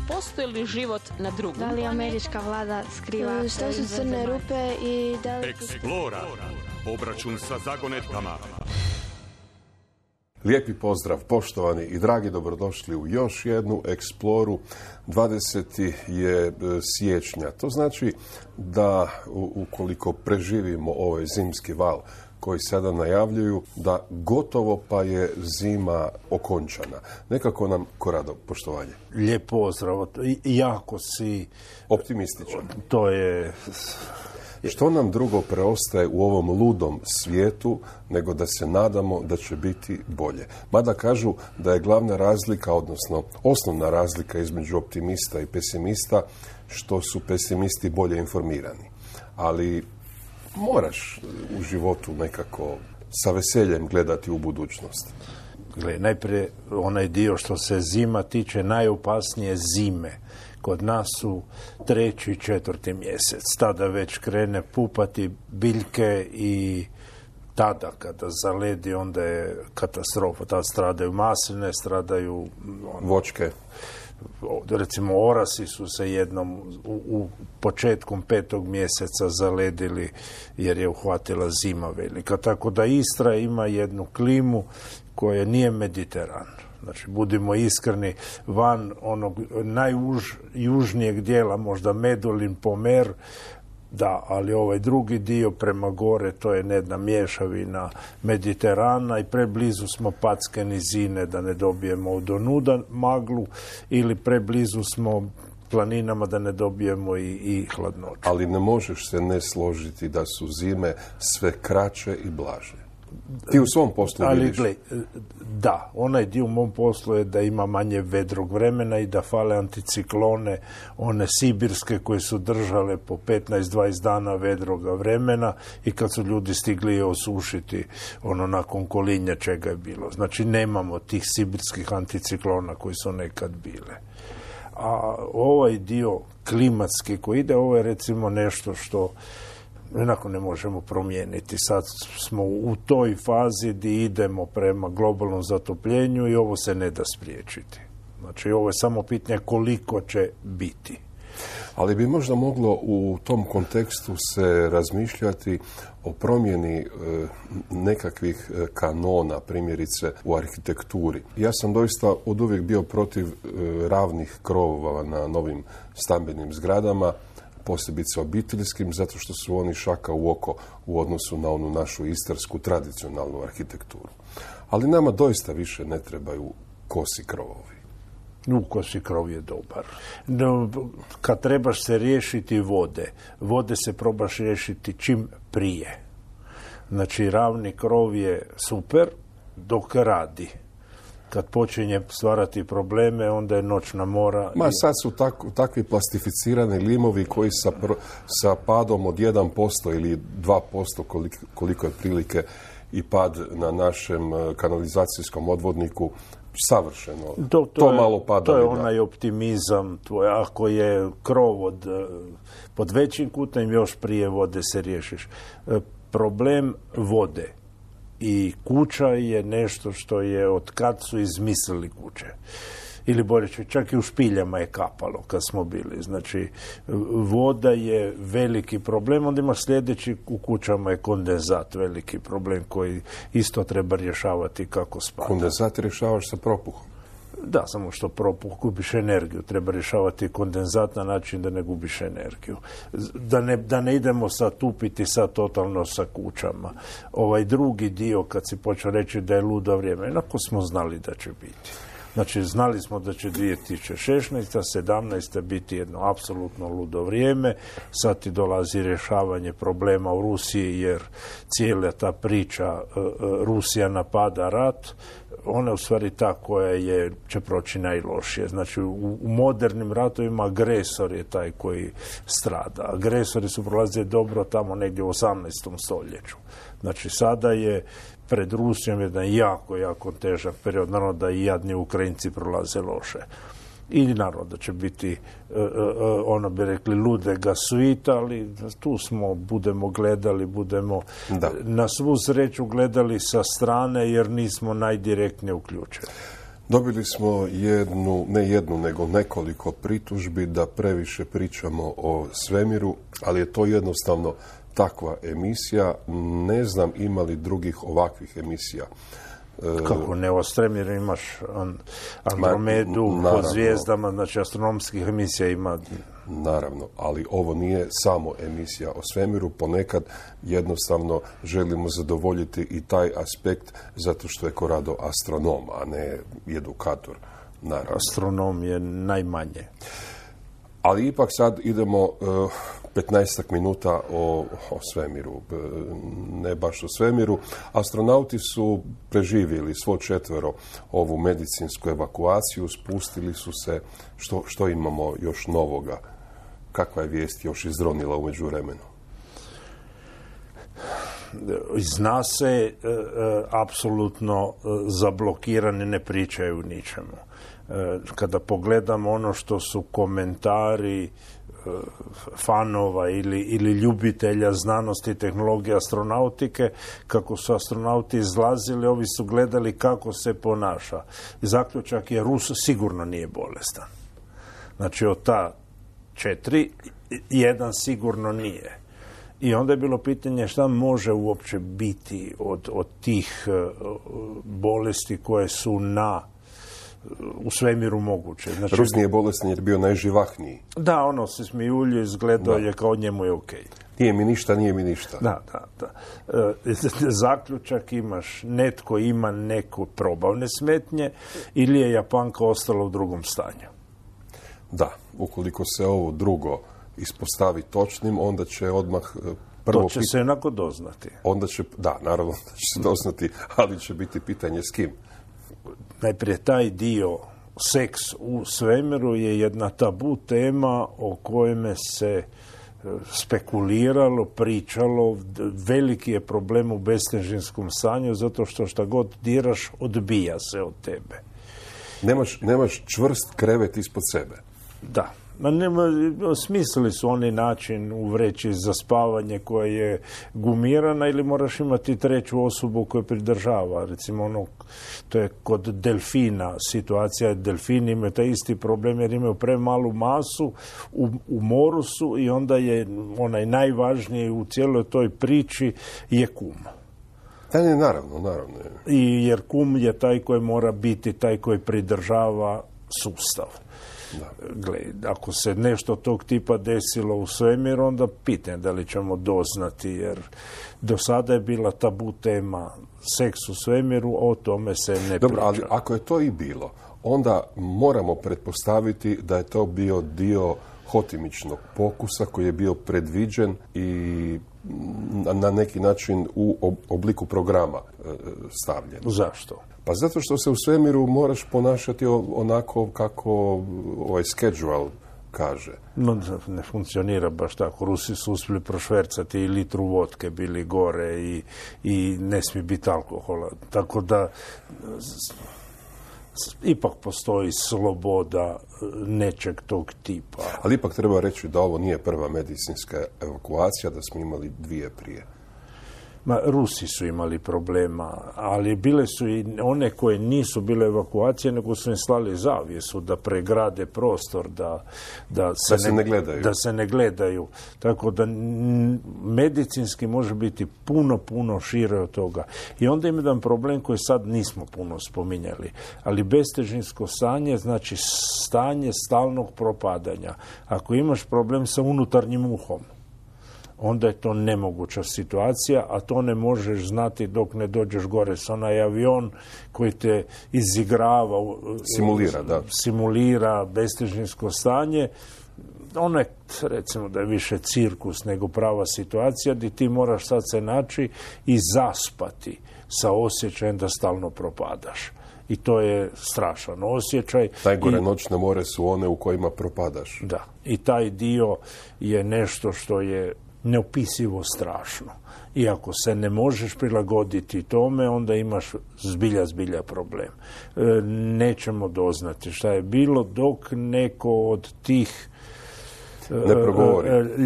postoji li život na drugom Da li američka vlada skriva šta su crne rupe i da li... Eksplora. Obračun sa zagonetkama. Lijepi pozdrav, poštovani i dragi, dobrodošli u još jednu Eksploru. 20. je siječnja. To znači da ukoliko preživimo ovaj zimski val koji sada najavljuju, da gotovo pa je zima okončana. Nekako nam, Korado, poštovanje. Lijep pozdrav. Jako si... optimističan. To je... Što nam drugo preostaje u ovom ludom svijetu nego da se nadamo da će biti bolje. Mada kažu da je glavna razlika, odnosno osnovna razlika između optimista i pesimista, što su pesimisti bolje informirani. Ali moraš u životu nekako sa veseljem gledati u budućnost. Gle, najprije onaj dio što se zima tiče, najopasnije zime. Kod nas su 3. i 4. mjesec. Tada već krene pupati biljke i tada kada zaledi onda je katastrofa. Tada stradaju masline, stradaju voćke. Recimo orasi su se jednom u početkom 5. mjeseca zaledili jer je uhvatila zima velika. Tako da Istra ima jednu klimu koja nije Mediteran. Znači, budimo iskreni, van onog najjužnijeg dijela, možda Medulin, Pomer, da, ali ovaj drugi dio prema gore, to je jedna mješavina Mediterana i preblizu smo Patske nizine da ne dobijemo odonuda maglu ili preblizu smo planinama da ne dobijemo i hladnoću. Ali ne možeš se ne složiti da su zime sve kraće i blaže. Ti u svom poslu vidiš? Ali da, onaj dio u mom poslu je da ima manje vedrog vremena i da fale anticiklone, one sibirske koje su držale po 15-20 dana vedroga vremena i kad su ljudi stigli je osušiti nakon kolinja čega je bilo. Znači nemamo tih sibirskih anticiklona koji su nekad bile. A ovaj dio klimatski koji ide, ovo je recimo nešto što jednako ne možemo promijeniti. Sad smo u toj fazi gdje idemo prema globalnom zatopljenju i ovo se ne da spriječiti. Znači, ovo je samo pitanje koliko će biti. Ali bi možda moglo u tom kontekstu se razmišljati o promjeni nekakvih kanona, primjerice u arhitekturi. Ja sam doista oduvijek bio protiv ravnih krovova na novim stambenim zgradama, posebice obiteljskim, zato što su oni šaka u oko u odnosu na onu našu istarsku tradicionalnu arhitekturu. Ali nama doista više ne trebaju kosi krovovi. Kosi krov je dobar. No, kad trebaš se riješiti vode se probaš riješiti čim prije. Znači, ravni krov je super dok radi. Kad počinje stvarati probleme, onda je noćna mora. Sad su takvi plastificirani limovi koji sa padom od 1% ili 2%, koliko je prilike i pad na našem kanalizacijskom odvodniku, savršeno. To malo pada. To je onaj optimizam tvoj. Ako je krov pod većim kutem, još prije vode se riješiš. Problem vode i kuća je nešto što je od kad su izmislili kuće. Ili bolje čak i u špiljama je kapalo kad smo bili. Znači, voda je veliki problem. Onda imaš sljedeći, u kućama je kondenzat veliki problem koji isto treba rješavati kako spada. Kondenzat rješavaš sa propuhom? Da, samo što propuh gubiš energiju. Treba rješavati kondenzat na način da ne gubiš energiju. Da ne idemo sad tupiti sad totalno sa kućama. Ovaj drugi dio, kad si počeo reći da je ludo vrijeme, jednako smo znali da će biti. Znači, znali smo da će 2016. 17. biti jedno apsolutno ludo vrijeme. Sad ti dolazi rješavanje problema u Rusiji, jer cijela ta priča Rusija napada rat, ona je u stvari ta koja će proći najlošije. Znači, u modernim ratovima agresor je taj koji strada. Agresori su prolazili dobro tamo negdje u 18. stoljeću. Znači, sada je pred Rusijom jedan jako težak period. Naravno da i jadni Ukrajinci prolaze loše. I naravno da će biti, ono bi rekli, ludega svita, ali tu smo, budemo gledali, na svu sreću gledali sa strane jer nismo najdirektnije uključeni. Dobili smo ne jednu, nego nekoliko pritužbi da previše pričamo o svemiru, ali je to jednostavno takva emisija. Ne znam ima li drugih ovakvih emisija. Kako ne, o svemiru imaš Andromedu, po zvijezdama, znači astronomskih emisija ima. Naravno, ali ovo nije samo emisija o svemiru, ponekad jednostavno želimo zadovoljiti i taj aspekt zato što je Corrado astronom, a ne edukator. Naravno. Astronom je najmanje. Ali ipak sad idemo 15 minuta o svemiru, ne baš o svemiru. Astronauti su preživjeli svo četvero ovu medicinsku evakuaciju, spustili su se. Što imamo još novoga? Kakva je vijest još izronila u međuvremenu? Zna se, apsolutno zablokirani ne pričaju ničemu. Kada pogledamo ono što su komentari fanova ili ljubitelja znanosti i tehnologije astronautike, kako su astronauti izlazili, ovi su gledali kako se ponaša. Zaključak je Rus sigurno nije bolestan. Znači od ta 4, jedan sigurno nije. I onda je bilo pitanje šta može uopće biti od tih bolesti koje su u svemiru moguće. Znači, Rus nije bolestan jer je bio najživahniji. Da, ono se smijulju, izgledao je kao njemu je okej. Nije mi ništa. Da. Zaključak imaš, netko ima neko probavne smetnje ili je Japanka ostala u drugom stanju. Da, ukoliko se ovo drugo ispostavi točnim, onda će odmah prvo... To će se jednako doznati. Naravno da će se doznati, ali će biti pitanje s kim. Najprije taj dio seks u svemiru je jedna tabu tema o kojome se spekuliralo, pričalo. Veliki je problem u bestežinskom stanju zato što šta god diraš odbija se od tebe. Nemaš čvrst krevet ispod sebe. Da. Smislili su oni način u vreći za spavanje koja je gumirana ili moraš imati treću osobu koja pridržava. Recimo to je kod delfina situacija. Delfini imaju taj isti problem jer imaju premalu masu, u moru su i onda je onaj najvažniji u cijeloj toj priči je kum. Naravno. Jer kum je taj koji mora biti taj koji pridržava sustav. Gle, ako se nešto tog tipa desilo u svemiru, onda pitanje da li ćemo doznati, jer do sada je bila tabu tema seks u svemiru, o tome se ne priča. Ali ako je to i bilo, onda moramo pretpostaviti da je to bio dio hotimičnog pokusa koji je bio predviđen i na neki način u obliku programa stavljen. Zašto? Pa zato što se u svemiru moraš ponašati onako kako ovaj schedule kaže. Ne funkcionira baš tako. Rusi su uspjeli prošvercati i litru vodke bili gore i ne smije biti alkohola. Tako da ipak postoji sloboda nečeg tog tipa. Ali ipak treba reći da ovo nije prva medicinska evakuacija, da smo imali 2 prije. Rusi su imali problema, ali bile su i one koje nisu bile evakuacije, nego su im slali zavjesu da pregrade prostor, da se ne gledaju. Tako da medicinski može biti puno šire od toga. I onda ima jedan problem koji sad nismo puno spominjali, ali bestežinsko stanje znači stanje stalnog propadanja. Ako imaš problem sa unutarnjim uhom, onda je to nemoguća situacija, a to ne možeš znati dok ne dođeš gore s onaj avion koji te izigrava, simulira bestežinsko stanje. Ono je, recimo, da je više cirkus nego prava situacija gdje ti moraš sad se naći i zaspati sa osjećajem da stalno propadaš. I to je strašan osjećaj. Najgore noćne more su one u kojima propadaš. Da, i taj dio je nešto što je neopisivo strašno. I ako se ne možeš prilagoditi tome, onda imaš zbilja problem. Nećemo doznati šta je bilo dok neko od tih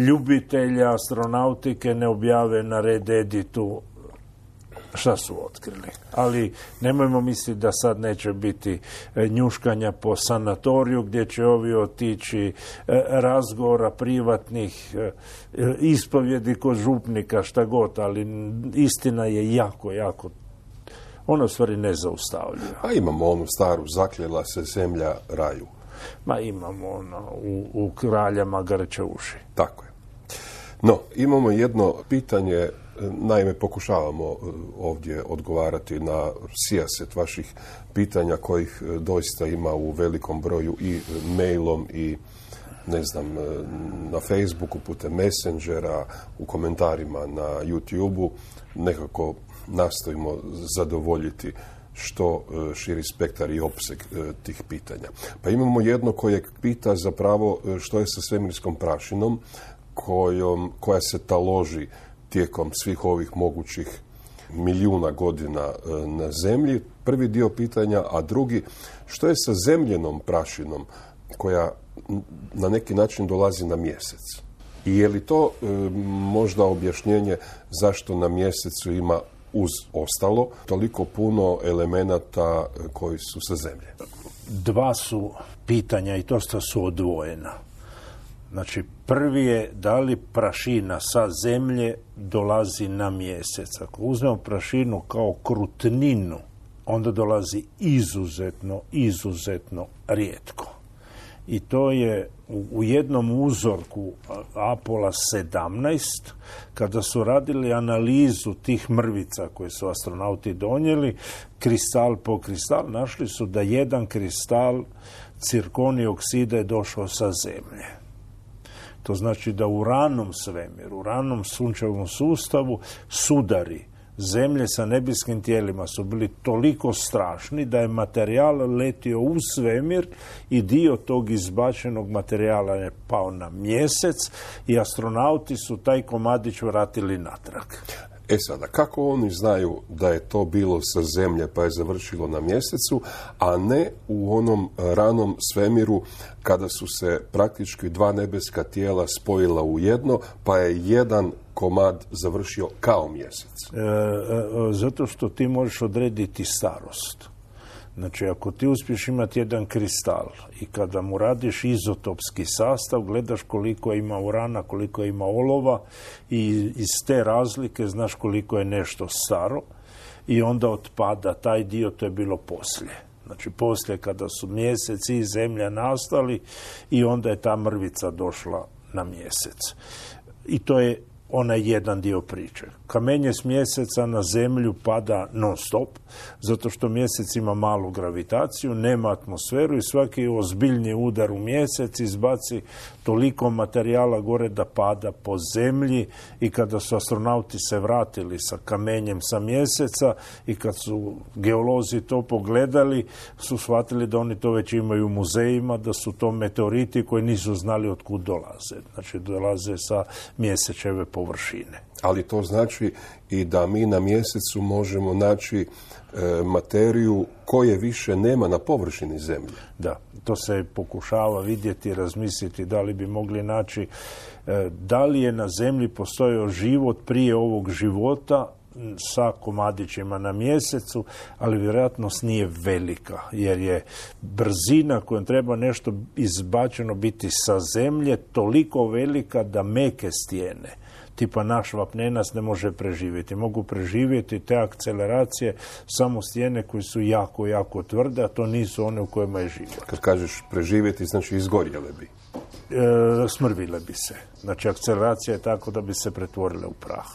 ljubitelja astronautike ne objave na Red Editu šta su otkrili. Ali nemojmo misliti da sad neće biti njuškanja po sanatoriju gdje će ovi otići, razgovora privatnih, ispovjedi kod župnika, šta god, ali istina je jako, jako, ono u stvari nezaustavljiva. A imamo onu staru, zakljela se zemlja raju. Ma imamo ono, u kraljama grče uši. Tako je. No, imamo jedno pitanje, naime pokušavamo ovdje odgovarati na sijaset vaših pitanja kojih doista ima u velikom broju i mailom i ne znam, na Facebooku, putem Messengera, u komentarima na YouTubeu. Nekako nastojimo zadovoljiti što širi spektar i opseg tih pitanja. Pa imamo jedno koje pita zapravo što je sa svemirskom prašinom koja se taloži tijekom svih ovih mogućih milijuna godina na zemlji. Prvi dio pitanja, a drugi, što je sa zemljenom prašinom koja na neki način dolazi na mjesec? I je li to možda objašnjenje zašto na mjesecu ima uz ostalo toliko puno elemenata koji su sa zemlje? Dva su pitanja i dosta su odvojena. Znači, prvi je da li prašina sa zemlje dolazi na mjesec. Ako uzmemo prašinu kao krutninu, onda dolazi izuzetno rijetko. I to je u jednom uzorku Apola 17, kada su radili analizu tih mrvica koje su astronauti donijeli, kristal po kristal, našli su da jedan kristal cirkonij oksida je došao sa zemlje. To znači da u ranom svemiru, u ranom sunčevom sustavu sudari zemlje sa nebeskim tijelima su bili toliko strašni da je materijal letio u svemir i dio tog izbačenog materijala je pao na mjesec i astronauti su taj komadić vratili natrag. E sada, kako oni znaju da je to bilo sa zemlje pa je završilo na mjesecu, a ne u onom ranom svemiru kada su se praktički dva nebeska tijela spojila u jedno, pa je jedan komad završio kao mjesec? Zato što ti možeš odrediti starost. Znači, ako ti uspiješ imati jedan kristal i kada mu radiš izotopski sastav, gledaš koliko ima urana, koliko ima olova i iz te razlike znaš koliko je nešto staro i onda otpada taj dio, to je bilo poslije. Znači, poslije kada su mjesec i zemlja nastali i onda je ta mrvica došla na mjesec. I to je onaj jedan dio priče. Kamenje s mjeseca na zemlju pada non stop, zato što mjesec ima malu gravitaciju, nema atmosferu i svaki ozbiljni udar u mjesec izbaci toliko materijala gore da pada po zemlji i kada su astronauti se vratili sa kamenjem sa mjeseca i kad su geolozi to pogledali, su shvatili da oni to već imaju u muzejima, da su to meteoriti koji nisu znali otkud dolaze. Znači, dolaze sa mjesečeve površine. Ali to znači i da mi na mjesecu možemo naći materiju koje više nema na površini zemlje. Da, to se pokušava vidjeti, razmisliti da li bi mogli naći da li je na zemlji postojao život prije ovog života sa komadićima na mjesecu, ali vjerojatnost nije velika, jer je brzina kojom treba nešto izbačeno biti sa zemlje toliko velika da meke stijene, tipa naš vapnenac, ne može preživjeti. Mogu preživjeti te akceleracije samo stijene koje su jako, jako tvrde, a to nisu one u kojima je život. Kad kažeš preživjeti, znači izgorjele bi? Smrvile bi se. Znači, akceleracija je tako da bi se pretvorile u prah.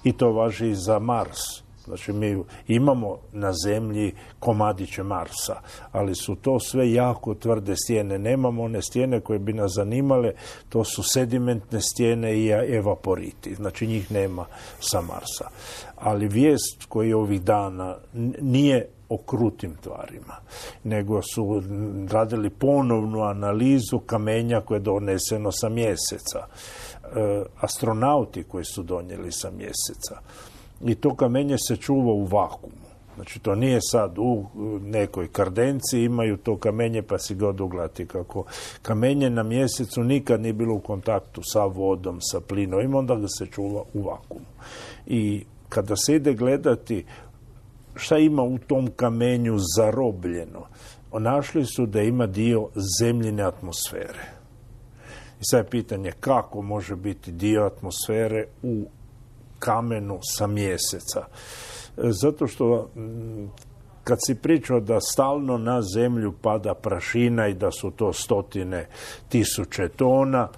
I to važi i za Mars. Znači, mi imamo na zemlji komadiće Marsa, ali su to sve jako tvrde stijene. Nemamo one stijene koje bi nas zanimale, to su sedimentne stijene i evaporiti. Znači, njih nema sa Marsa. Ali vijest koji ovih dana nije o krutim tvarima, nego su radili ponovnu analizu kamenja koje je doneseno sa mjeseca. Astronauti koji su donijeli sa mjeseca. I to kamenje se čuva u vakuumu. Znači, to nije sad u nekoj kardenci, imaju to kamenje pa si ga oduglati. Kako kamenje na mjesecu nikad nije bilo u kontaktu sa vodom, sa plinom, onda ga se čuva u vakuumu. I kada se ide gledati šta ima u tom kamenju zarobljeno? Našli su da ima dio zemljine atmosfere. I sad je pitanje kako može biti dio atmosfere u kamenu sa Mjeseca. Zato što kad si pričao da stalno na zemlju pada prašina i da su to 100.000 tona,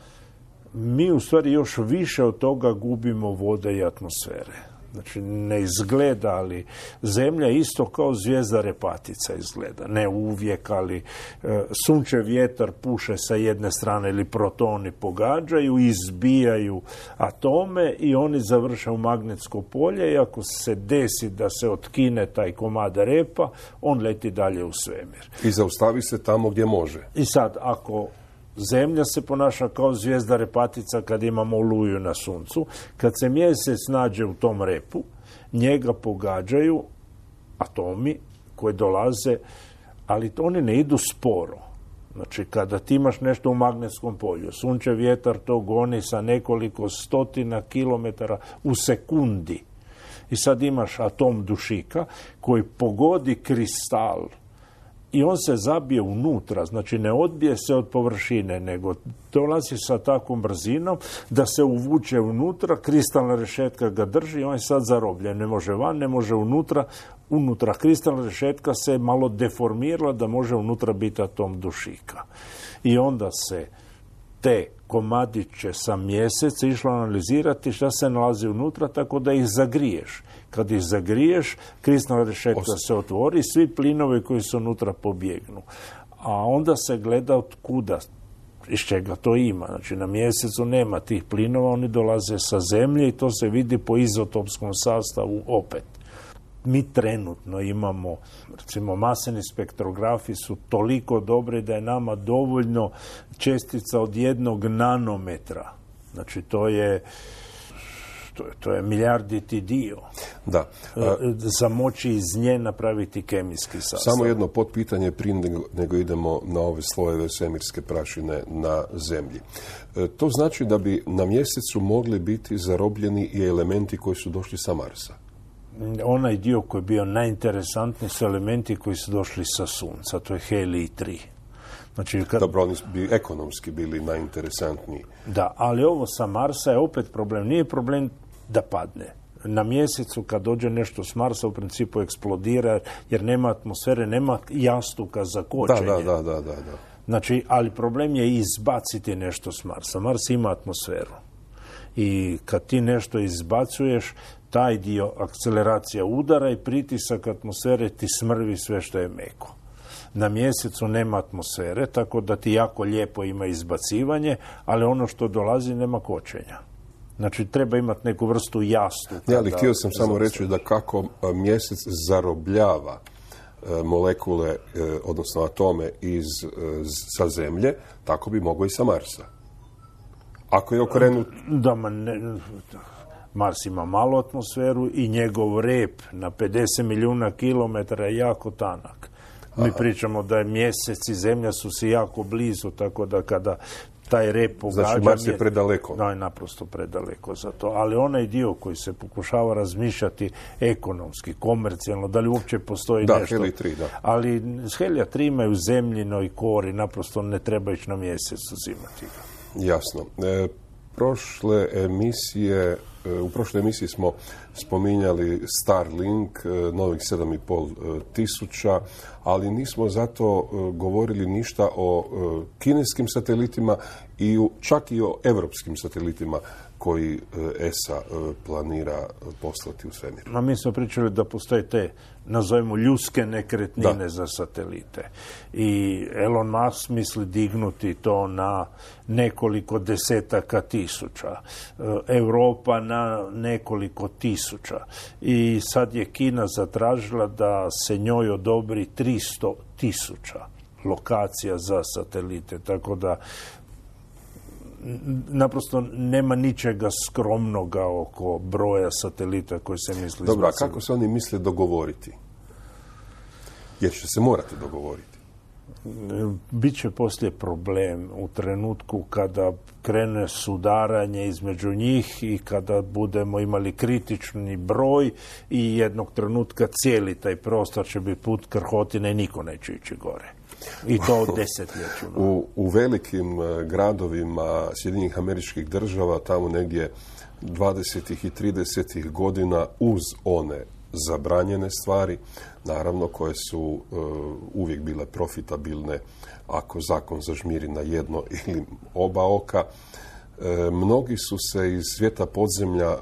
mi u stvari još više od toga gubimo vode i atmosfere. Znači, ne izgleda, ali zemlja isto kao zvijezda Repatica izgleda. Ne uvijek, ali sunčev vjetar puše sa jedne strane ili protoni pogađaju, izbijaju atome i oni završaju magnetsko polje i ako se desi da se otkine taj komad repa, on leti dalje u svemir. I zaustavi se tamo gdje može. I sad, ako Zemlja se ponaša kao zvijezda Repatica kad imamo oluju na suncu. Kad se Mjesec nađe u tom repu, njega pogađaju atomi koji dolaze, ali oni ne idu sporo. Znači, kada ti imaš nešto u magnetskom polju, sunčev vjetar to goni sa nekoliko stotina kilometara u sekundi. I sad imaš atom dušika koji pogodi kristal i on se zabije unutra, znači ne odbije se od površine, nego dolazi sa takvom brzinom da se uvuče unutra, kristalna rešetka ga drži i on je sad zarobljen. Ne može van, ne može unutra. Unutra kristalna rešetka se malo deformirala da može unutra biti atom dušika. I onda se te komadiće sa Mjeseca išlo analizirati šta se nalazi unutra, tako da ih zagriješ. Kad ih zagriješ, kristalna rešetka se otvori, svi plinovi koji su unutra pobjegnu. A onda se gleda od kuda, iz čega to ima. Znači, na Mjesecu nema tih plinova, oni dolaze sa Zemlje i to se vidi po izotopskom sastavu opet. Mi trenutno imamo, recimo, maseni spektrografi su toliko dobri da je nama dovoljno čestica od 1 nanometra. Znači, to je milijarditi dio. Da. Za moći iz nje napraviti kemijski sastav. Samo jedno potpitanje prije nego idemo na ove slojeve svemirske prašine na Zemlji. To znači da bi na Mjesecu mogli biti zarobljeni i elementi koji su došli sa Marsa? Onaj dio koji je bio najinteresantniji su elementi koji su došli sa Sunca, to je helij 3. Znači, Dobro, oni bi ekonomski bili najinteresantniji. Da, ali ovo sa Marsa je opet problem. Nije problem da padne. Na Mjesecu kad dođe nešto s Marsa u principu eksplodira jer nema atmosfere, nema jastuka za kočenje. Da. Znači, ali problem je izbaciti nešto s Marsa. Mars ima atmosferu. I kad ti nešto izbacuješ, taj dio akceleracija udara i pritisak atmosfere ti smrvi sve što je meko. Na Mjesecu nema atmosfere, tako da ti jako lijepo ima izbacivanje, ali ono što dolazi nema kočenja. Znači, treba imati neku vrstu jastuka. Ne, ali htio sam samo reći da kako Mjesec zarobljava molekule, odnosno atome sa Zemlje, tako bi mogao i sa Marsa. Ako je okrenut... Mars ima malu atmosferu i njegov rep na 50 milijuna kilometara je jako tanak. Mi pričamo da je Mjesec i Zemlja su si jako blizu, tako da kada taj rep pogađa... Znači, Mars je predaleko. Da, je naprosto predaleko za to. Ali onaj dio koji se pokušava razmišljati ekonomski, komercijalno, da li uopće postoji nešto... Helij 3, da. Ali Helija 3 imaju zemljinoj kori, naprosto ne treba ići na Mjesec uzimati ga. Jasno. U prošloj emisiji smo spominjali Starlink, novih 7,5 tisuća, ali nismo zato govorili ništa o kineskim satelitima i čak i o evropskim satelitima koji ESA planira poslati u svemir. Mi smo pričali da postoje te, nazovemo, ljudske nekretnine za satelite. I Elon Musk misli dignuti to na nekoliko desetaka tisuća. Europa na nekoliko tisuća. I sad je Kina zatražila da se njoj odobri 300.000 lokacija za satelite. Tako da naprosto nema ničega skromnoga oko broja satelita koji se misli izbaciti. Dobro, a kako se oni misle dogovoriti? Jer će se morati dogovoriti. Biće poslije problem u trenutku kada krene sudaranje između njih i kada budemo imali kritični broj i jednog trenutka cijeli taj prostor će biti put krhotine i niko neće ići gore. I to desetljećima. U velikim gradovima Sjedinjenih Američkih Država, tamo negdje 20. i 30. godina, uz one zabranjene stvari, naravno koje su uvijek bile profitabilne ako zakon zažmiri na jedno ili oba oka, mnogi su se iz svijeta podzemlja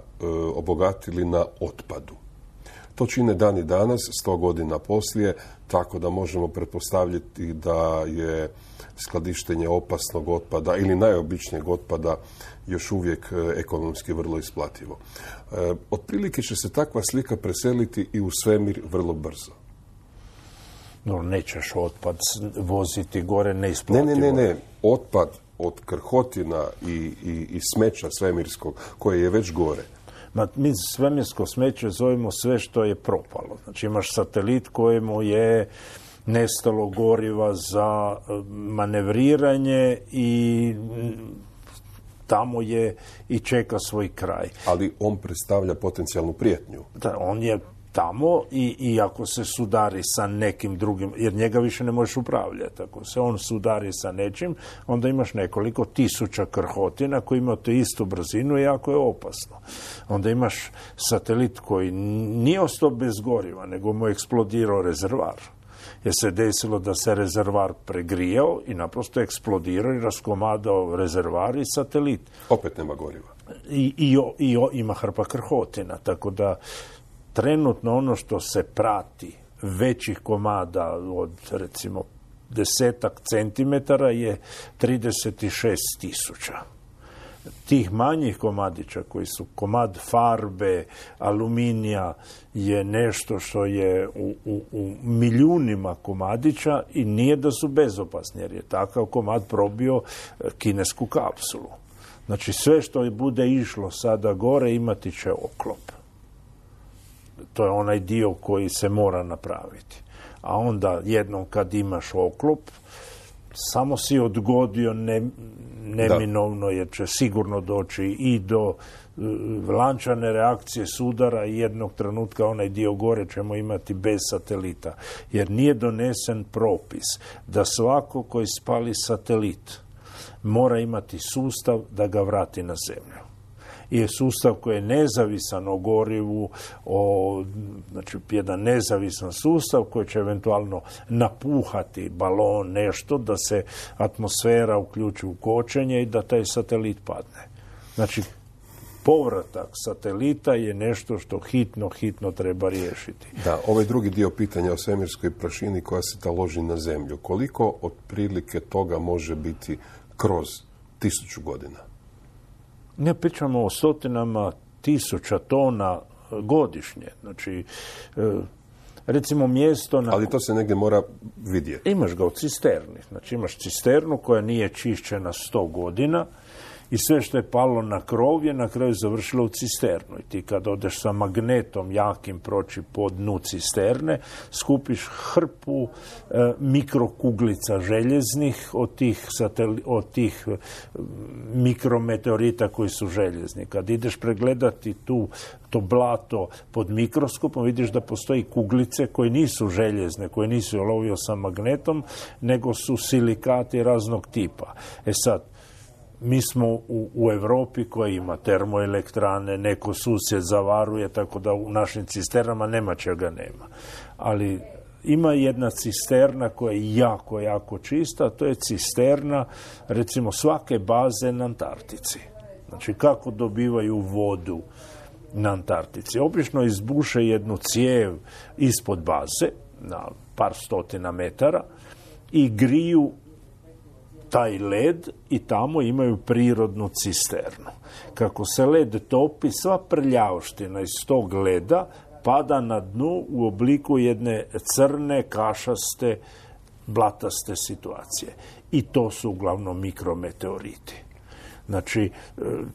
obogatili na otpadu. To čine dan i danas, 100 godina poslije, tako da možemo pretpostavljati da je skladištenje opasnog otpada ili najobičnijeg otpada još uvijek ekonomski vrlo isplativo. Otprilike će se takva slika preseliti i u svemir vrlo brzo. No, nećeš otpad voziti gore neisplativo. Ne. Otpad od krhotina i smeća svemirskog, koje je već gore. Mi svemirsko smeće zovemo sve što je propalo. Znači imaš satelit kojemu je nestalo goriva za manevriranje i tamo je i čeka svoj kraj. Ali on predstavlja potencijalnu prijetnju. Da, on je tamo i ako se sudari sa nekim drugim, jer njega više ne možeš upravljati. Ako se on sudari sa nečim, onda imaš nekoliko tisuća krhotina koji imaju tu istu brzinu i jako je opasno. Onda imaš satelit koji nije ostao bez goriva, nego mu je eksplodirao rezervar. Jer se desilo da se rezervar pregrijao i naprosto eksplodirao i raskomadao rezervar i satelit. Opet nema goriva. I ima hrpa krhotina, tako da trenutno ono što se prati većih komada od recimo 10 centimetara je 36.000. Tih manjih komadića koji su komad farbe, aluminija je nešto što je u milijunima komadića i nije da su bezopasni jer je takav komad probio kinesku kapsulu. Znači sve što bude išlo sada gore imati će oklop. To je onaj dio koji se mora napraviti. A onda jednom kad imaš oklop, samo si odgodio neminovno jer će sigurno doći i do lančane reakcije sudara i jednog trenutka onaj dio gore ćemo imati bez satelita. Jer nije donesen propis da svako koji spali satelit mora imati sustav da ga vrati na zemlju. I je sustav koji je nezavisan o gorivu, znači jedan nezavisan sustav koji će eventualno napuhati balon nešto da se atmosfera uključi u kočenje i da taj satelit padne. Znači, povratak satelita je nešto što hitno treba riješiti. Da, ovaj drugi dio pitanja o svemirskoj prašini koja se taloži na zemlju. Koliko otprilike toga može biti kroz 1000 godina? Ne pričamo o stotinama tisuća tona godišnje. Znači, recimo mjesto... Ali to se negdje mora vidjeti. Imaš ga u cisterni. Znači, imaš cisternu koja nije čišćena 100 godina i sve što je palo na krov je na kraju završilo u cisternu. I ti kad odeš sa magnetom jakim proći po dnu cisterne, skupiš hrpu mikrokuglica željeznih od tih mikrometeorita koji su željezni. Kad ideš pregledati to blato pod mikroskopom, vidiš da postoji kuglice koje nisu željezne, koje nisu lovio sa magnetom, nego su silikati raznog tipa. Sad, mi smo u Europi koja ima termoelektrane, neko susjed zavaruje, tako da u našim cisternama nema čega nema. Ali ima jedna cisterna koja je jako čista, to je cisterna, recimo, svake baze na Antarktici. Znači, kako dobivaju vodu na Antarktici? Obično izbuše jednu cijev ispod baze, na par stotina metara, i griju taj led i tamo imaju prirodnu cisternu. Kako se led topi, sva prljavština iz tog leda pada na dnu u obliku jedne crne, kašaste, blataste situacije. I to su uglavnom mikrometeoriti. Znači,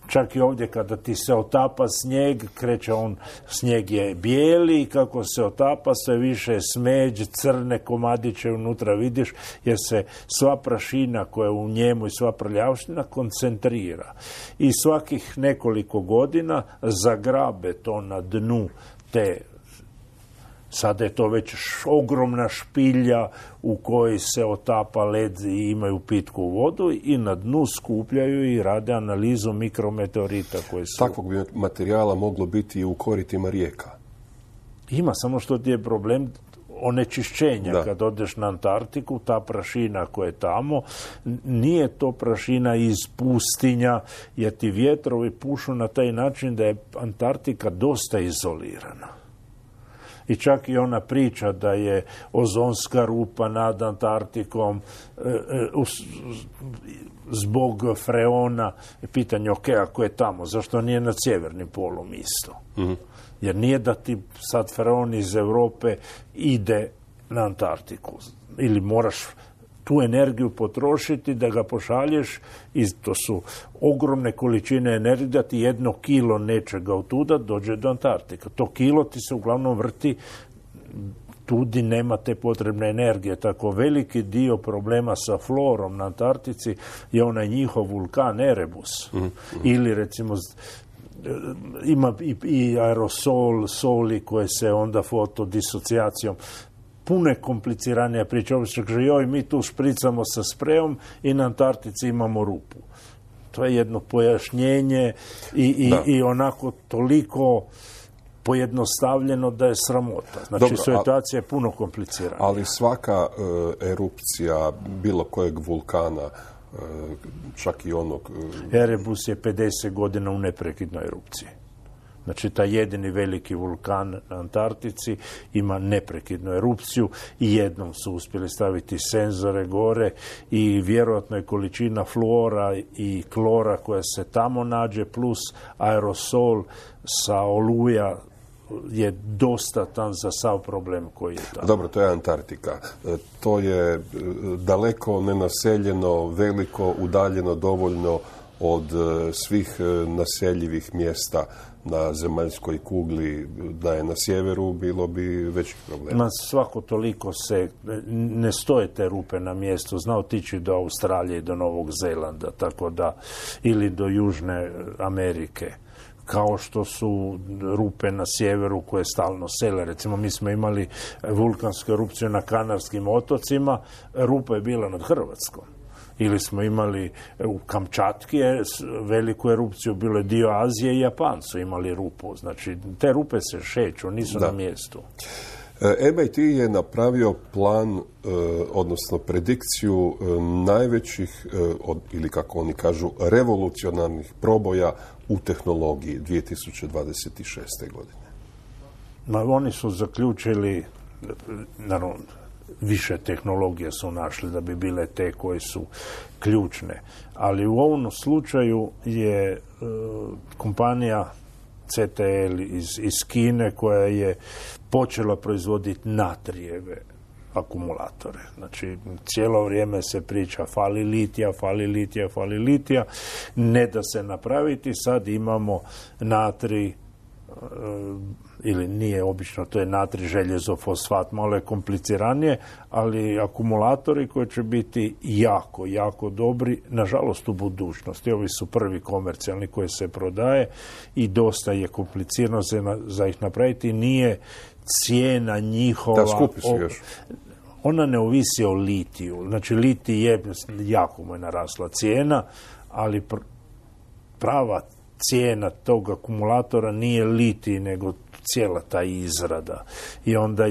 čak i ovdje kada ti se otapa snijeg, kreće on, snijeg je bijeli i kako se otapa sve više smeđ, crne komadiće unutra vidiš, jer se sva prašina koja je u njemu i sva prljavština koncentrira. I svakih nekoliko godina zagrabe to na dnu te, sada je to već ogromna špilja u kojoj se otapa led i imaju pitku vodu i na dnu skupljaju i rade analizu mikrometeorita koji su... Takvog bi materijala moglo biti i u koritima rijeka. Ima, samo što ti je problem onečišćenja. Da. Kad odeš na Antarktiku, ta prašina koja je tamo, nije to prašina iz pustinja, jer ti vjetrovi pušu na taj način da je Antarktika dosta izolirana. I čak i ona priča da je ozonska rupa nad Antarktikom zbog freona, pitanje, ok, ako je tamo, zašto nije nad sjevernim polom isto? Mm-hmm. Jer nije da ti sad freon iz Europe ide na Antarktiku. Ili moraš tu energiju potrošiti da ga pošalješ i to su ogromne količine energije da ti 1 kilo nečega otuda dođe do Antarktika. To kilo ti se uglavnom vrti tu di nema te potrebne energije. Tako veliki dio problema sa florom na Antarktici je onaj njihov vulkan Erebus. Mm-hmm. Ili recimo ima i aerosol, soli koje se onda fotodisocijacijom. Puno je kompliciranija priča. Joj, mi tu špricamo sa sprejom i na Antarktici imamo rupu. To je jedno pojašnjenje i onako toliko pojednostavljeno da je sramota. Znači, dobro, situacija je puno komplicirana. Ali svaka erupcija bilo kojeg vulkana, čak i onog... Erebus je 50 godina u neprekidnoj erupciji. Znači, taj jedini veliki vulkan na Antarktici ima neprekidnu erupciju i jednom su uspjeli staviti senzore gore i vjerojatno je količina fluora i klora koja se tamo nađe plus aerosol sa oluja je dostatan za sav problem koji je tamo. Dobro, to je Antarktika. To je daleko nenaseljeno, veliko, udaljeno dovoljno od svih naseljivih mjesta na zemaljskoj kugli. Da je na sjeveru, bilo bi veći problem. Svako toliko ne stoje te rupe na mjestu. Zna otići do Australije i do Novog Zelanda, tako da, ili do Južne Amerike. Kao što su rupe na sjeveru koje stalno sele. Recimo, mi smo imali vulkansku erupciju na Kanarskim otocima, rupa je bila nad Hrvatskom. Ili smo imali u Kamčatki veliku erupciju, bilo je dio Azije i Japan su imali rupu. Znači, te rupe se šeću, nisu na mjestu. MIT je napravio plan, odnosno predikciju najvećih, ili kako oni kažu, revolucionarnih proboja u tehnologiji 2026. godine. Oni su zaključili, naravno, više tehnologije su našli da bi bile te koje su ključne. Ali u ovom slučaju je kompanija CTL iz Kine koja je počela proizvoditi natrijeve akumulatore. Znači, cijelo vrijeme se priča fali litija, ne da se napraviti. Sad imamo natrij, ili nije obično, to je natrij željezo fosfat, malo je kompliciranije, ali akumulatori koji će biti jako, jako dobri, nažalost u budućnosti. Ovi su prvi komercijalni koji se prodaje i dosta je komplicirano za ih napraviti. Nije cijena njihova... Da, skupi su još. Ona ne ovisi o litiju. Znači, litij je, jako mu je narasla cijena, ali prava cijena tog akumulatora nije litij, nego cijela ta izrada. I onda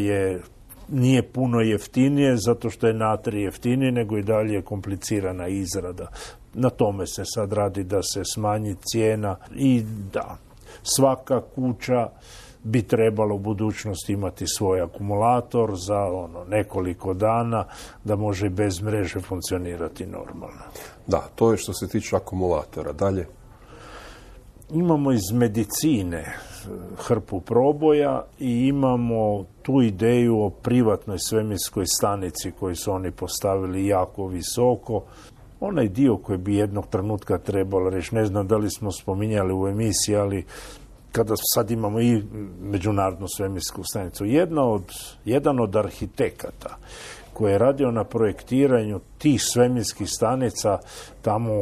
nije puno jeftinije, zato što je natrij jeftiniji, nego i dalje je komplicirana izrada. Na tome se sad radi da se smanji cijena i da, svaka kuća bi trebalo u budućnosti imati svoj akumulator za nekoliko dana da može bez mreže funkcionirati normalno. Da, to je što se tiče akumulatora. Dalje? Imamo iz medicine hrpu proboja i imamo tu ideju o privatnoj svemirskoj stanici koju su oni postavili jako visoko. onaj dio koji bi jednog trenutka trebalo reći, ne znam da li smo spominjali u emisiji, ali kada sad imamo i Međunarodnu svemirsku stanicu, jedan od arhitekata koji je radio na projektiranju tih svemirskih stanica tamo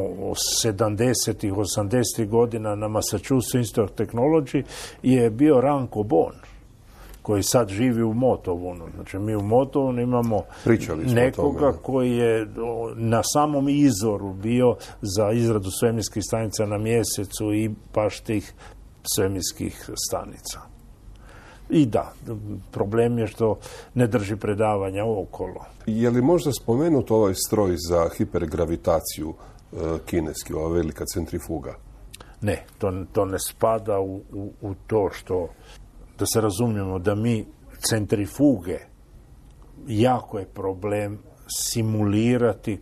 70-ih, 80-ih godina na Massachusetts Institute of Technology je bio Ranko Bon, koji sad živi u Motovunu. Znači, mi u Motovunu imamo nekoga koji je na samom izvoru bio za izradu svemirskih stanica na Mjesecu i baš tih svemirskih stanica. I da, problem je što ne drži predavanja okolo. Je li možda spomenut ovaj stroj za hipergravitaciju kineski, ova velika centrifuga? Ne, to ne spada u to što, da se razumijemo, da mi centrifuge, jako je problem simulirati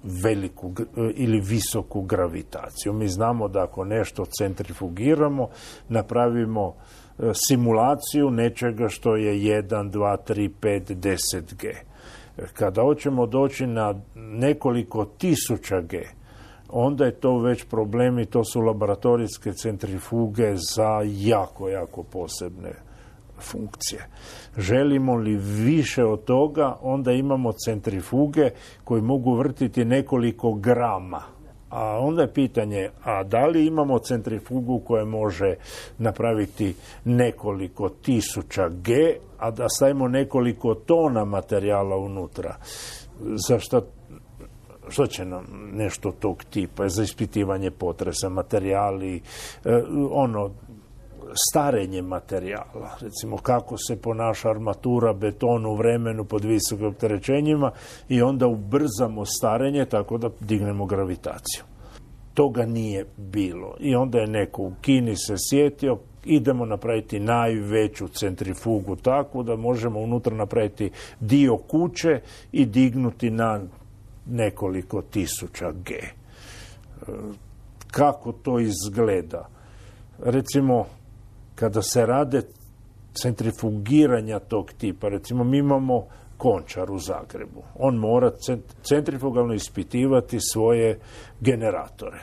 veliku ili visoku gravitaciju. Mi znamo da ako nešto centrifugiramo, napravimo simulaciju nečega što je 1, 2, 3, 5, 10 G. Kada hoćemo doći na nekoliko tisuća G, onda je to već problem i to su laboratorijske centrifuge za jako, jako posebne funkcije. Želimo li više od toga, onda imamo centrifuge koji mogu vrtiti nekoliko grama. A onda je pitanje, a da li imamo centrifugu koja može napraviti nekoliko tisuća G, a da stavimo nekoliko tona materijala unutra? Što će nam nešto tog tipa za ispitivanje potresa, materijali, starenje materijala, recimo kako se ponaša armatura, beton u vremenu pod visokim opterećenjima i onda ubrzamo starenje tako da dignemo gravitaciju. Toga nije bilo. I onda je neko u Kini se sjetio, idemo napraviti najveću centrifugu takvu da možemo unutra napraviti dio kuće i dignuti na nekoliko tisuća G. Kako to izgleda? Recimo, kada se rade centrifugiranja tog tipa, recimo mi imamo Končar u Zagrebu. On mora centrifugalno ispitivati svoje generatore.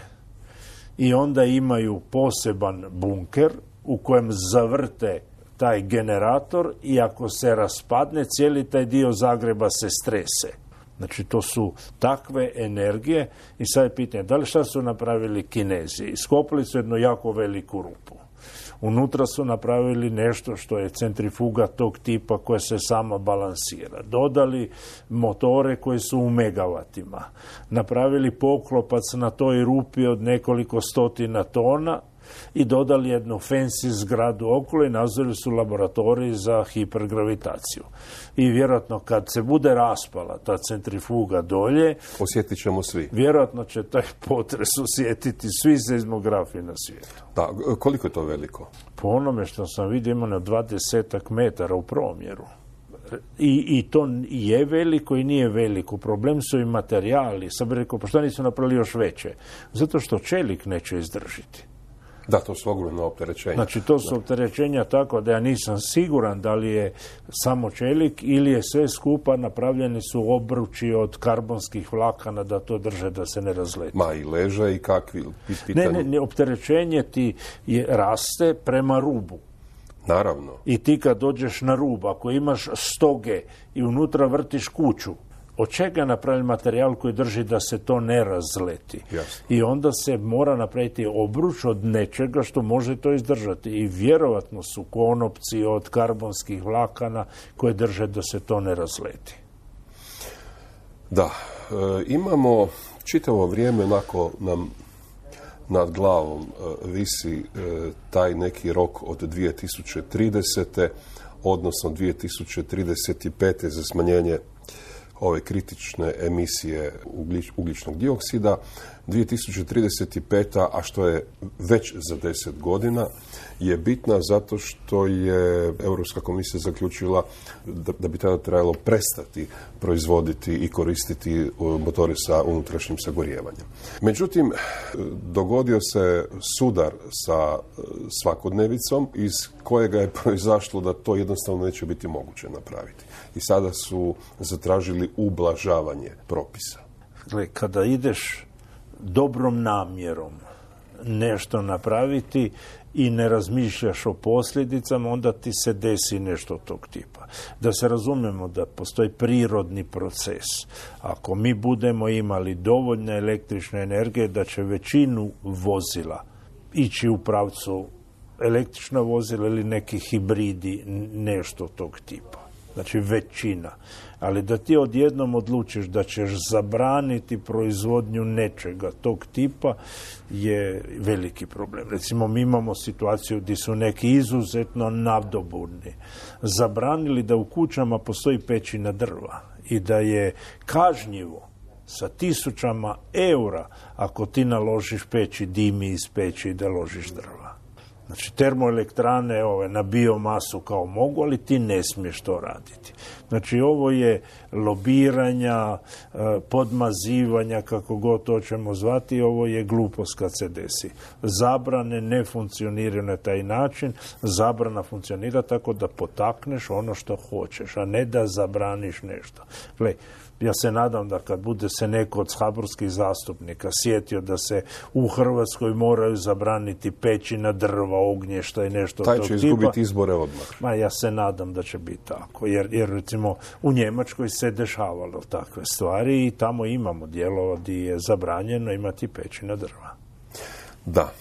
I onda imaju poseban bunker u kojem zavrte taj generator i ako se raspadne, cijeli taj dio Zagreba se strese. Znači, to su takve energije i sad je pitanje, da li šta su napravili Kinezi? Iskopali su jednu jako veliku rupu. Unutra su napravili nešto što je centrifuga tog tipa koja se sama balansira. Dodali motore koji su u megavatima. Napravili poklopac na toj rupi od nekoliko stotina tona i dodali jednu fancy zgradu okolo i nazvali su laboratorij za hipergravitaciju. I vjerojatno kad se bude raspala ta centrifuga dolje, osjetit ćemo svi. Vjerojatno će taj potres osjetiti svi seizmografi na svijetu. Da, koliko je to veliko? Po onome što sam vidio ima na 20 metara u promjeru. I to je veliko i nije veliko. Problem su i materijali. Sad bih rekao, pa što nisu napravili još veće? Zato što čelik neće izdržiti. Da, to su ogromno opterećenja. Znači, to su opterećenja tako da ja nisam siguran da li je samo čelik ili je sve skupa, napravljeni su obruči od karbonskih vlakana da to drže, da se ne razleti. Ma i leže i kakvi? Ne, opterećenje ti raste prema rubu. Naravno. I ti kad dođeš na rub, ako imaš 100 G i unutra vrtiš kuću, od čega napraviti materijal koji drži da se to ne razleti? Jasno. I onda se mora napraviti obruč od nečega što može to izdržati. I vjerovatno su konopci od karbonskih vlakana koje drže da se to ne razleti. Da, imamo čitavo vrijeme onako nam nad glavom visi taj neki rok od 2030. odnosno 2035. za smanjenje ove kritične emisije ugljičnog dioksida. 2035. a što je već za 10 godina, je bitna zato što je Europska komisija zaključila da bi tada trebalo prestati proizvoditi i koristiti motore sa unutrašnjim sagorijevanjem. Međutim, dogodio se sudar sa svakodnevicom iz kojega je proizašlo da to jednostavno neće biti moguće napraviti. I sada su zatražili ublažavanje propisa. Kada ideš dobrom namjerom nešto napraviti i ne razmišljaš o posljedicama, onda ti se desi nešto tog tipa. Da se razumijemo da postoji prirodni proces. Ako mi budemo imali dovoljne električne energije, da će većinu vozila ići u pravcu električna vozila ili neki hibridi, nešto tog tipa. Znači većina. Ali da ti odjednom odlučiš da ćeš zabraniti proizvodnju nečega tog tipa je veliki problem. Recimo, mi imamo situaciju gdje su neki izuzetno nadoburni zabranili da u kućama postoji pećina drva i da je kažnjivo sa 1000 eura ako ti naložiš peći dimi iz peći i da ložiš drva. Znači, termoelektrane na biomasu kao mogu, ali ti ne smiješ to raditi. Znači, ovo je lobiranja, podmazivanja, kako god to ćemo zvati, ovo je glupost kad se desi. Zabrane ne funkcioniraju na taj način, zabrana funkcionira tako da potakneš ono što hoćeš, a ne da zabraniš nešto. Gle, ja se nadam da kad bude se neko od saborskih zastupnika sjetio da se u Hrvatskoj moraju zabraniti pećina drva, ognješta i nešto taj tog tipa. Taj će izgubiti izbore odmah. Ja se nadam da će biti tako. Jer recimo u Njemačkoj se dešavalo takve stvari i tamo imamo dijelova gdje je zabranjeno imati pećina drva. Da.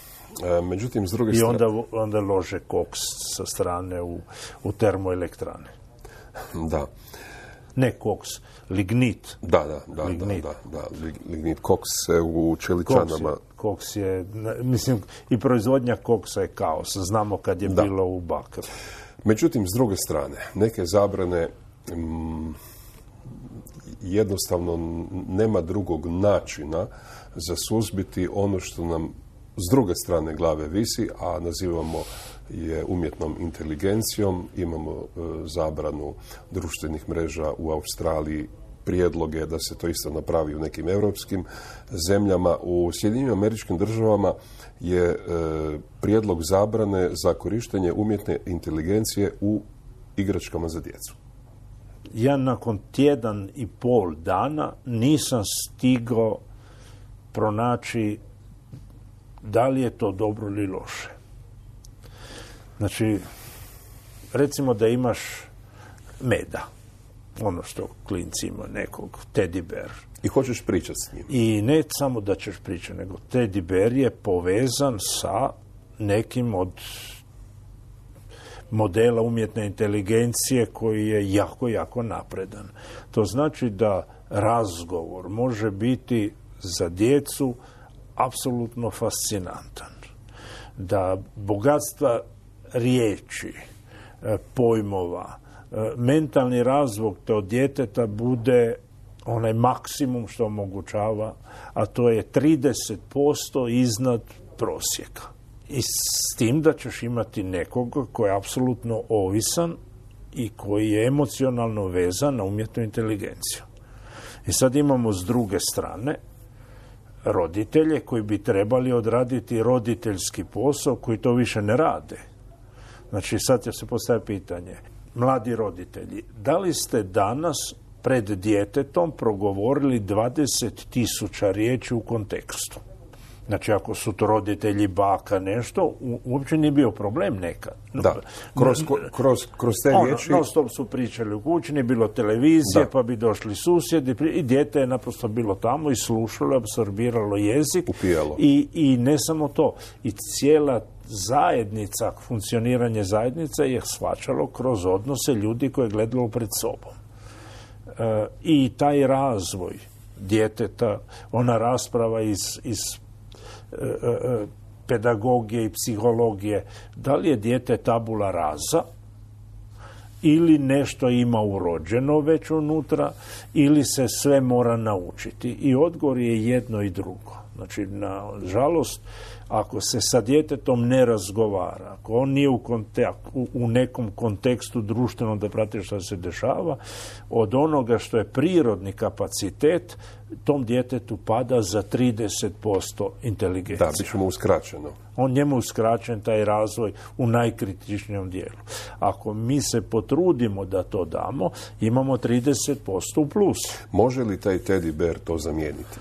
Međutim, s druge strane... I onda lože koks sa strane u termoelektrane. Da. Ne koks, lignit. Da, lignit, koks u čeličanama. Koks je, mislim, i proizvodnja koksa je kaos. Znamo kad je bilo u Bakaru. Međutim, s druge strane, neke zabrane jednostavno nema drugog načina za suzbiti ono što nam s druge strane glave visi, a nazivamo je umjetnom inteligencijom. Imamo zabranu društvenih mreža u Australiji, prijedloge da se to isto napravi u nekim europskim zemljama. U Sjedinjenim Američkim Državama je prijedlog zabrane za korištenje umjetne inteligencije u igračkama za djecu. Ja nakon 1,5 dana nisam stigao pronaći da li je to dobro ili loše. Znači, recimo da imaš meda, ono što klinci ima, nekog teddy bear. I hoćeš pričati s njim. I ne samo da ćeš pričati, nego teddy bear je povezan sa nekim od modela umjetne inteligencije koji je jako, jako napredan. To znači da razgovor može biti za djecu apsolutno fascinantan. Da bogatstva riječi, pojmova, mentalni razvoj od djeteta bude onaj maksimum što omogućava, a to je 30% iznad prosjeka. I s tim da ćeš imati nekoga koji je apsolutno ovisan i koji je emocionalno vezan na umjetnu inteligenciju. I sad imamo s druge strane roditelje koji bi trebali odraditi roditeljski posao koji to više ne rade. Znači, sad će se postaviti pitanje. Mladi roditelji, da li ste danas pred djetetom progovorili 20.000 riječi u kontekstu? Znači, ako su to roditelji, baka, nešto, uopće nije bio problem nekad. Da, kroz te riječi... Non stop su pričali u kući, nije bilo televizije, pa bi došli susjedi i dijete je naprosto bilo tamo i slušalo, apsorbiralo jezik. Upijalo. I ne samo to. I cijela zajednica, funkcioniranje zajednica je shvaćalo kroz odnose ljudi koje je gledalo pred sobom. I taj razvoj djeteta, ona rasprava iz pedagogije i psihologije, da li je dijete tabula rasa ili nešto ima urođeno već unutra ili se sve mora naučiti. I odgovor je jedno i drugo. Znači, na žalost, ako se sa djetetom ne razgovara, ako on nije u nekom kontekstu društvenom da prati što se dešava, od onoga što je prirodni kapacitet, tom djetetu pada za 30% inteligencije. Da, bit ćemo uskraćeno. On njemu uskraćen taj razvoj u najkritičnijem dijelu. Ako mi se potrudimo da to damo, imamo 30% u plus. Može li taj teddy bear to zamijeniti?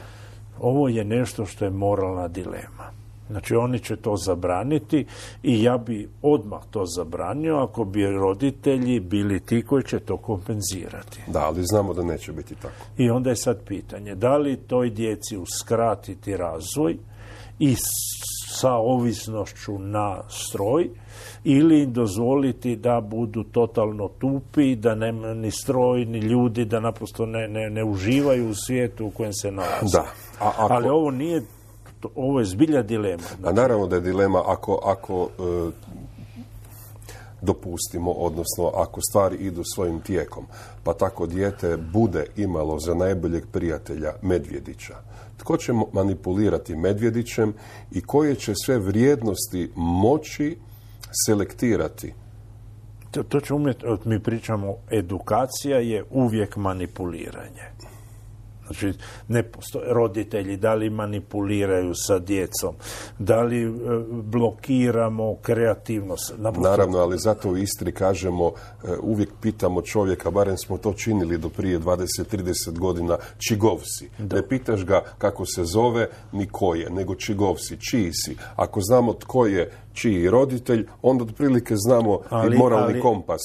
Ovo je nešto što je moralna dilema. Znači, oni će to zabraniti i ja bi odmah to zabranio ako bi roditelji bili ti koji će to kompenzirati. Da, ali znamo da neće biti tako. I onda je sad pitanje, da li toj djeci uskratiti razvoj i sa ovisnošću na stroj, ili im dozvoliti da budu totalno tupi, da nema ni stroj, ni ljudi, da naprosto ne uživaju u svijetu u kojem se nalaze. Da. Ali ovo nije, ovo je zbilja dilema. A naravno da je dilema ako dopustimo, odnosno ako stvari idu svojim tijekom, pa tako dijete bude imalo za najboljeg prijatelja medvjedića. Tko će manipulirati medvjedićem i koje će sve vrijednosti moći selektirati? To će mi pričamo, edukacija je uvijek manipuliranje. Znači, ne postoje roditelji, da li manipuliraju sa djecom, da li blokiramo kreativnost. Naravno, ali zato u Istri kažemo, uvijek pitamo čovjeka, barem smo to činili do prije 20-30 godina, čigov si. Da. Ne pitaš ga kako se zove, ni ko je, nego čigov si, čiji si. Ako znamo tko je čiji roditelj, onda otprilike znamo i moralni kompas.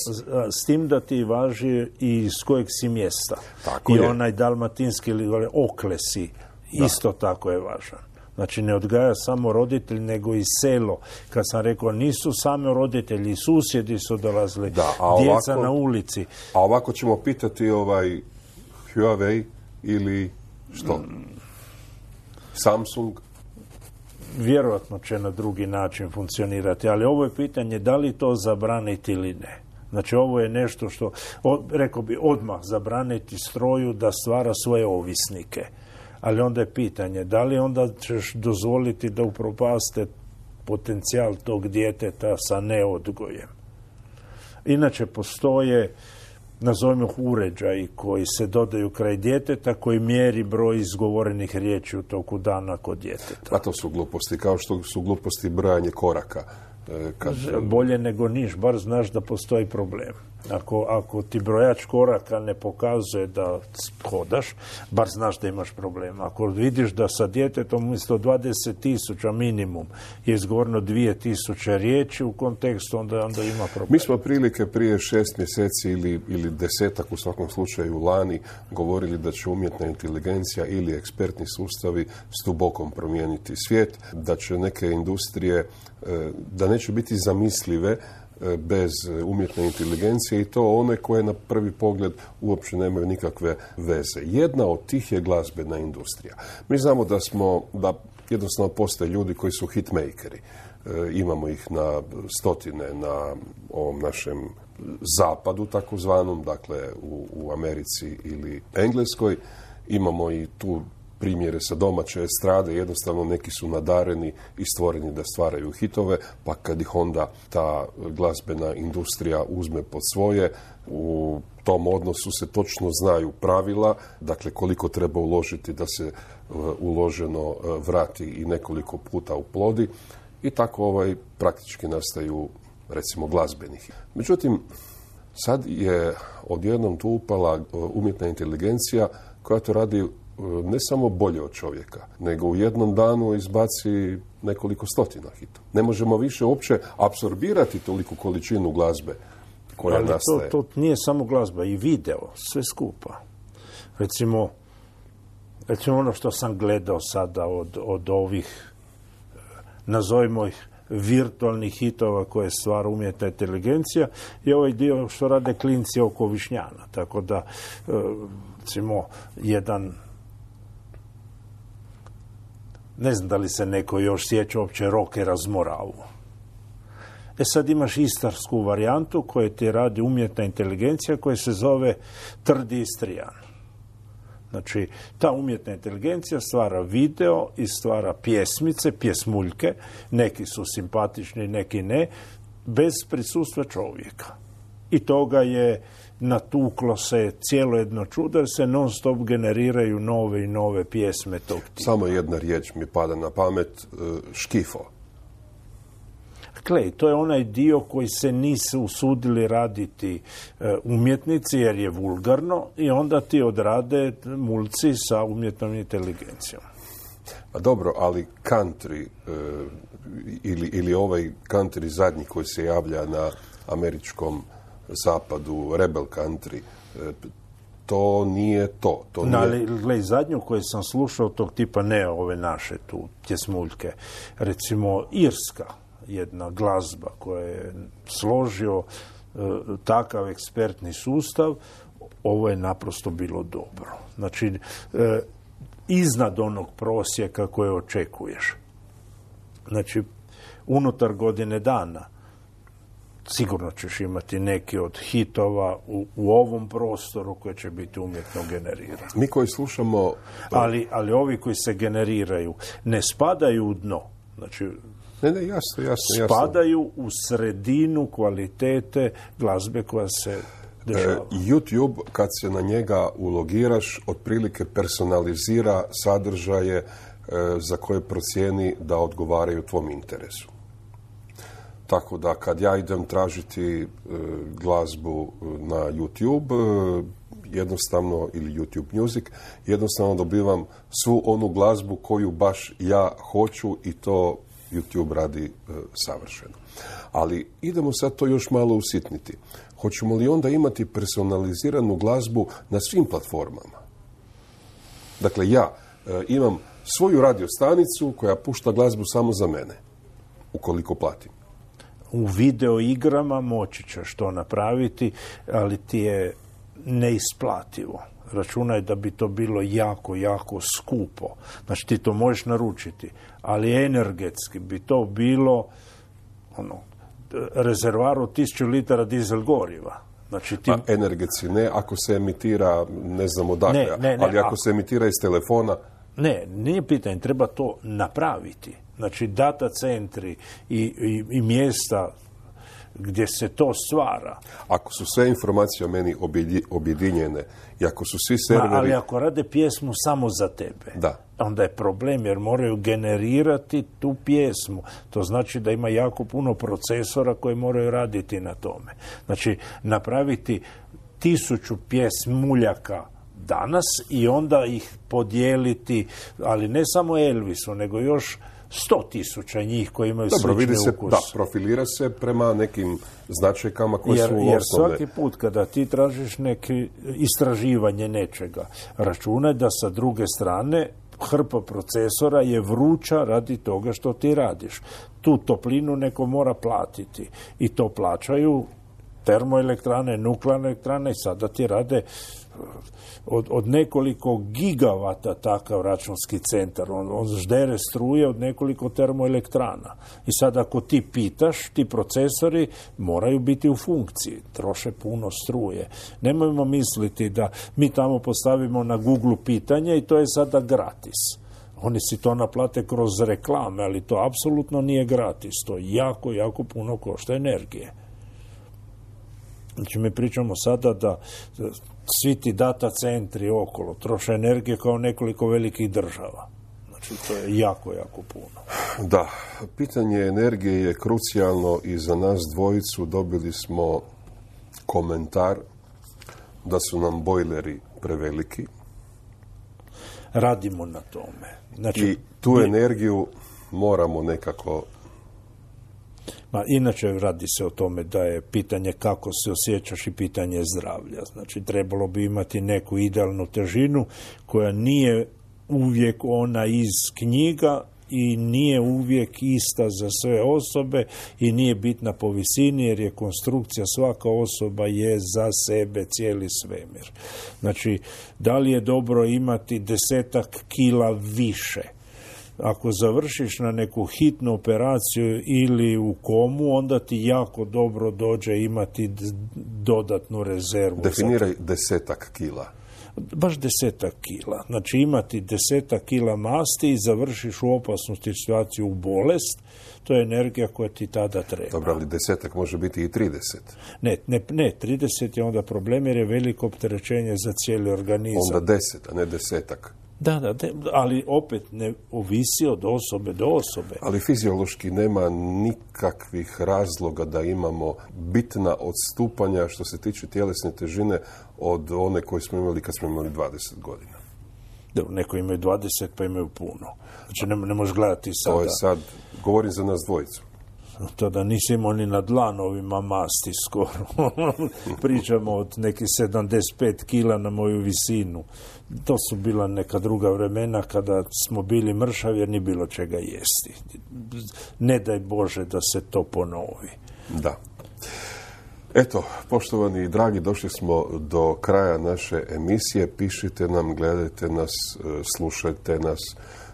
S tim da ti važi i iz kojeg si mjesta. Tako I je. onaj dalmatinski ili oklesi, isto tako je važan. Znači, ne odgaja samo roditelj, nego i selo. Kad sam rekao, nisu samo roditelji, susjedi su dolazili, djeca na ulici. A ovako ćemo pitati Huawei ili što? Samsung? Vjerojatno će na drugi način funkcionirati, ali ovo je pitanje da li to zabraniti ili ne. Znači, ovo je nešto što, rekao bi, odmah zabraniti stroju da stvara svoje ovisnike. Ali onda je pitanje, da li onda ćeš dozvoliti da upropaste potencijal tog djeteta sa neodgojem. Inače, postoje, nazovimo uređaji koji se dodaju kraj djeteta, koji mjeri broj izgovorenih riječi u toku dana kod djeteta. A to su gluposti, kao što su gluposti brojanje koraka. Bolje nego niš, bar znaš da postoji problem. Ako ti brojač koraka ne pokazuje da hodaš, bar znaš da imaš problem. Ako vidiš da sa djetetom umjesto 20.000 minimum je izgovoreno 2.000 riječi u kontekstu, onda ima problem. Mi smo prilike prije 6 mjeseci ili 10 u svakom slučaju lani govorili da će umjetna inteligencija ili ekspertni sustavi s dubokom promijeniti svijet, da će neke industrije, da neće biti zamislive bez umjetne inteligencije i to one koje na prvi pogled uopće nemaju nikakve veze. Jedna od tih je glazbena industrija. Mi znamo da jednostavno postoje ljudi koji su hitmakeri. Imamo ih na stotine na ovom našem zapadu takozvanom, dakle u Americi ili Engleskoj. Imamo i tu primjere sa domaće estrade, jednostavno neki su nadareni i stvoreni da stvaraju hitove, pa kad ih onda ta glazbena industrija uzme pod svoje, u tom odnosu se točno znaju pravila, dakle koliko treba uložiti da se uloženo vrati i nekoliko puta uplodi i tako praktički nastaju, recimo, glazbeni hit. Međutim, sad je odjednom tu upala umjetna inteligencija koja to radi ne samo bolje od čovjeka, nego u jednom danu izbaci nekoliko stotina hitova. Ne možemo više uopće apsorbirati toliku količinu glazbe koja nastaje. To nije samo glazba, i video, sve skupa. Recimo ono što sam gledao sada od ovih, nazovimo ih, virtualnih hitova koje stvara umjetna inteligencija i ovaj dio što rade klinci oko Višnjana. Tako da, recimo, jedan, ne znam da li se neko još sjeća uopće Rokera Zmoravu. Sad imaš istarsku varijantu koju ti radi umjetna inteligencija koja se zove Trdi Istrijan. Znači, ta umjetna inteligencija stvara video i stvara pjesmice, pjesmuljke, neki su simpatični, neki ne, bez prisustva čovjeka. I toga je natuklo se cijelo jedno čudo, jer se non stop generiraju nove i nove pjesme tog tipa. Samo jedna riječ mi pada na pamet, škifo. Klej, to je onaj dio koji se nisu usudili raditi umjetnici jer je vulgarno i onda ti odrade mulci sa umjetnom inteligencijom. A dobro, ali country ili ovaj country zadnji koji se javlja na američkom zapadu, rebel country, to nije to. Ali zadnju koju sam slušao tog tipa, ne ove naše tu pjesmuljke, recimo irska jedna glazba koja je složio takav ekspertni sustav, ovo je naprosto bilo dobro. Znači, iznad onog prosjeka koje očekuješ. Znači, unutar godine dana sigurno ćeš imati neki od hitova u ovom prostoru koje će biti umjetno generirani. Mi koji slušamo... Ali ovi koji se generiraju ne spadaju u dno. Znači, Ne, jasno. Spadaju u sredinu kvalitete glazbe koja se dešava. YouTube, kad se na njega ulogiraš, otprilike personalizira sadržaje za koje procijeni da odgovaraju tvom interesu. Tako da kad ja idem tražiti glazbu na YouTube, jednostavno, ili YouTube Music, jednostavno dobivam svu onu glazbu koju baš ja hoću i to YouTube radi savršeno. Ali idemo sad to još malo usitniti. Hoćemo li onda imati personaliziranu glazbu na svim platformama? Dakle, ja imam svoju radio stanicu koja pušta glazbu samo za mene, ukoliko platim. U video igrama moći ćeš to napraviti, ali ti je neisplativo. Računaj da bi to bilo jako, jako skupo. Znači, ti to možeš naručiti, ali energetski bi to bilo rezervoar od 1000 litara dizel goriva. Znači, energetski ne, ako se emitira, ne znam odakle, ali ako se emitira iz telefona... Ne, nije pitanje, treba to napraviti. Znači, data centri i mjesta gdje se to stvara. Ako su sve informacije o meni objedinjene i ako su svi serveri... Ali ako rade pjesmu samo za tebe, onda je problem jer moraju generirati tu pjesmu. To znači da ima jako puno procesora koji moraju raditi na tome. Znači, napraviti 1000 pjesmuljaka danas i onda ih podijeliti, ali ne samo Elvisu, nego još 100.000 njih koji imaju slične ukuse. Profilira se prema nekim značajkama koje su osnovne. Jer svaki put kada ti tražiš neki istraživanje nečega, računaj da sa druge strane hrpa procesora je vruća radi toga što ti radiš. Tu toplinu neko mora platiti i to plaćaju termoelektrane, nuklearne elektrane i sada ti rade od nekoliko gigavata takav računski centar. On ždere struje od nekoliko termoelektrana. I sad ako ti pitaš, ti procesori moraju biti u funkciji. Troše puno struje. Nemojmo misliti da mi tamo postavimo na Google pitanje i to je sada gratis. Oni si to naplate kroz reklame, ali to apsolutno nije gratis. To jako, jako puno košta energije. Znači, mi pričamo sada da svi ti data centri okolo troše energije kao nekoliko velikih država. Znači, to je jako, jako puno. Da, pitanje energije je krucijalno i za nas dvojicu. Dobili smo komentar da su nam bojleri preveliki. Radimo na tome. Znači, i tu energiju moramo nekako... Inače radi se o tome da je pitanje kako se osjećaš i pitanje zdravlja. Znači, trebalo bi imati neku idealnu težinu koja nije uvijek ona iz knjiga i nije uvijek ista za sve osobe i nije bitna po visini jer je konstrukcija, svaka osoba je za sebe cijeli svemir. Znači, da li je dobro imati 10 kila više? Ako završiš na neku hitnu operaciju ili u komu, onda ti jako dobro dođe imati dodatnu rezervu. Definiraj 10 kila. baš 10 kila. Znači imati 10 kila masti i završiš u opasnu situaciju u bolest, to je energija koja ti tada treba. Dobro, ali 10 može biti i 30. Ne, 30 je onda problem jer je veliko opterećenje za cijeli organizam. Onda 10, a ne 10. Da, ali opet ne ovisi od osobe do osobe. Ali fiziološki nema nikakvih razloga da imamo bitna odstupanja što se tiče tjelesne težine od one koje smo imali kad smo imali 20 godina. Dobro, neko imaju 20 pa imaju puno. Znači ne možeš gledati sada. To je sad, govorim za nas dvojicu. To da nisi imao ni na dlanovima masti skoro. Pričamo od nekih 75 kila na moju visinu. To su bila neka druga vremena kada smo bili mršavi jer nije bilo čega jesti. Ne daj Bože da se to ponovi. Da. Eto, poštovani i dragi, došli smo do kraja naše emisije. Pišite nam, gledajte nas, slušajte nas.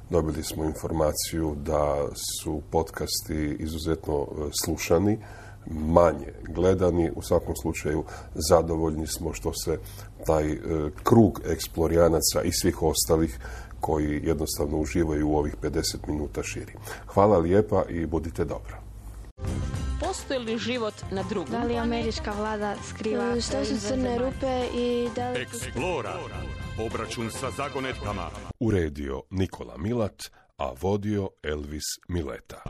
Dobili smo informaciju da su podcasti izuzetno slušani, manje gledani. U svakom slučaju zadovoljni smo što se taj krug eksplorijanaca i svih ostalih koji jednostavno uživaju u ovih 50 minuta širi. Hvala lijepa i budite dobro. Postoji li život na drugom? Da li američka vlada skriva Što su crne rupe i da li... Explora. Obračun sa zagonetkama. Uredio Nikola Milat, a vodio Elvis Mileta.